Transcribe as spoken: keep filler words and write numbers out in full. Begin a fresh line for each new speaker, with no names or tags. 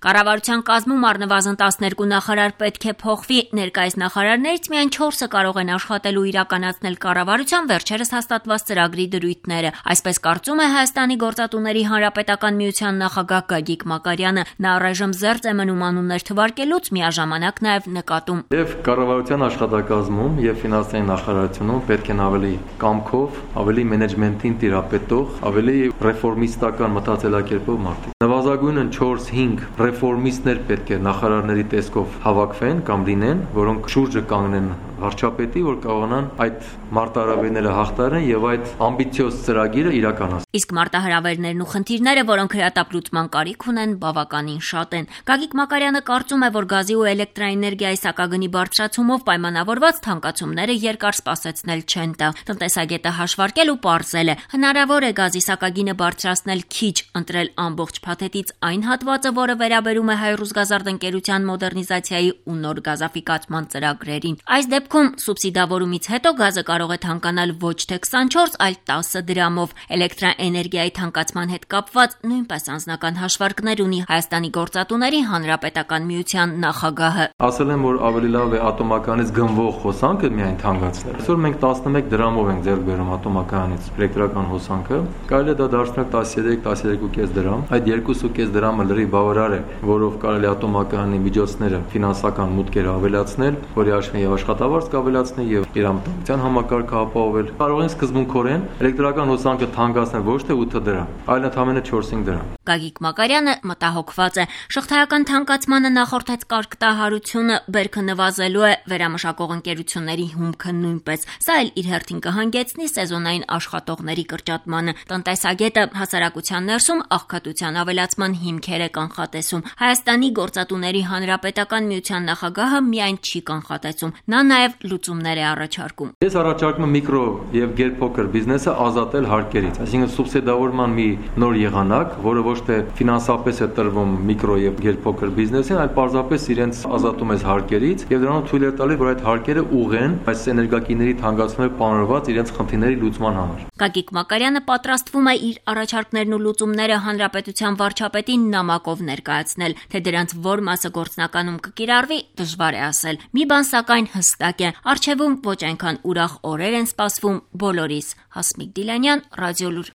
Կառավարության կազմում առնվազն տասներկու նախարար պետք է փոխվի, ներկայիս նախարարներից միայն չորսը կարող են աշխատել ու իրականացնել կառավարության վերջերս հաստատված ծրագրի դրույթները, այսպես կարծում է Հայաստանի գործատուների հանրապետական միության նախագահ Գագիկ Մակարյանը, նա առայժմ զերծ է մնում անուններ թվարկելուց, միաժամանակ նաև նկատում.
Եվ կառավարության աշխատակազմում եւ ֆինանսների նախարարությունում պետք են ավելի կամքով, ավելի մենեջմենտին տիրապետող, ավելի ռեֆորմիստական մտածելակերպով մարդիկ։ Նվազագույնն չորս հինգ ռեֆորմիստներ պետք է նախարարների տեսքով հավաքվեն կամ լինեն, որոնք շուրջը կանգնեն վարչապետի, որ կարողանան այդ մարտահրավերները հաղթահարեն եւ այդ ամբիցիոզ ծրագիրը իրականացնել։
Իսկ մարտահրավերներն ու խնդիրները, որոնք հրատապլուծման կարիք ունեն, բավականին շատ են։ Գագիկ Մակարյանը կարծում է, որ գազի ու էլեկտրաէներգիայի սակագնի բարձրացումով պայմանավորված թանկացումները երկար սպասեցնել չեն տա։ Տնտեսագետը հաշվարկել ու պարզել է. հնարավոր է գազի սակագինը բարձրացնել քիչ, ընտրել ամբողջ փաթեթից այն հատվածը, որը վերաբերում է Հայրուսգազարդ ընկերության մոդեռնիզացիայի ու նոր գազաֆիկացման ծրագրերին։ Այս դեպքում սուբսիդավորումից հետո գազը կարող է թանկանալ ոչ թե քսանչորս, այլ տասը դրամով։ Էլեկտրաէներգիայի թանկացման հետ կապված նույնպես անձնական հաշվարկներ ունի Հայաստանի գործատուների հանրապետական միության նախագահը։
Ասել եմ, որ ավելի լավ է ատոմականից գնվող հոսանքը միայն թանկացնել։ Այսօր մենք տասնմեկ դրամով ենք ձեռք բերում ատոմականից էլեկտրական հոսանքը, կարելի է դա դարձնել տասներեք տասներկու կես դրամ։ Այդ երկու կես դրամը լրիվ բավարար է, որով կարելի է ատոմակայանի միջոցները ֆինանսական մուտքերը ավելացնել, որի հաշվին եւ աշխատավարձ կավելացնել եւ իրավունքության համակարգը ապահովել։ Կարող են սկզբունքորեն էլեկտրական հոսանքը թանկացնել ոչ թե ութ դրամ, այլ ընդամենը չորս-հինգ դրամ։
Գագիկ Մակարյանը մտահոգված է. շղթայական թանկացմանը նախորդեց կարգտահարությունը, բերքը նվազելու է, վերամշակող ընկերությունների հումքը նույնպես։ Սա էլ իր հերթին կհանգեցնի սեզոնային աշխատողների կրճատմանը։ Տնտեսագետը հասարակության ներսում աղքատության ավելացման հիմքեր է կանխատեսում։ Հայաստանի գործատուների հանրապետական միության նախագահը միայն չի կանխատեսում, նա նաև լուծումներ է առաջարկում։
Ես առաջարկում եմ միկրո եւ գերփոքր բիզնեսը ազատել հարկերից, այսինքն սուբսիդավորման մի նոր եղանակ, որը ոչ թե ֆինանսապես է տրվում միկրո եւ գերփոքր բիզնեսին, այլ պարզապես իրենց ազատում է հարկերից եւ դրանով թույլ է տալիս, որ այդ հարկերը ուղղեն այս էներգակիների թանկացումները պանրված իրենց խնդիրների լուծման համար։
Գագիկ Մակարյանը պատրաստվում է իր առաջարկներն ու լուծումները հանրապետության վարչապետին նամակով ներկայացնել, թե դրանց որ մասը գործնականում կկիրառվի, դժվար է ասել։ Մի բան սակայն հստակ է, առջևում ոչ այնքան ուրախ օրեր են սպասվում բոլորիս։ Հասմիկ Դիլանյան, Ռադիոլուր։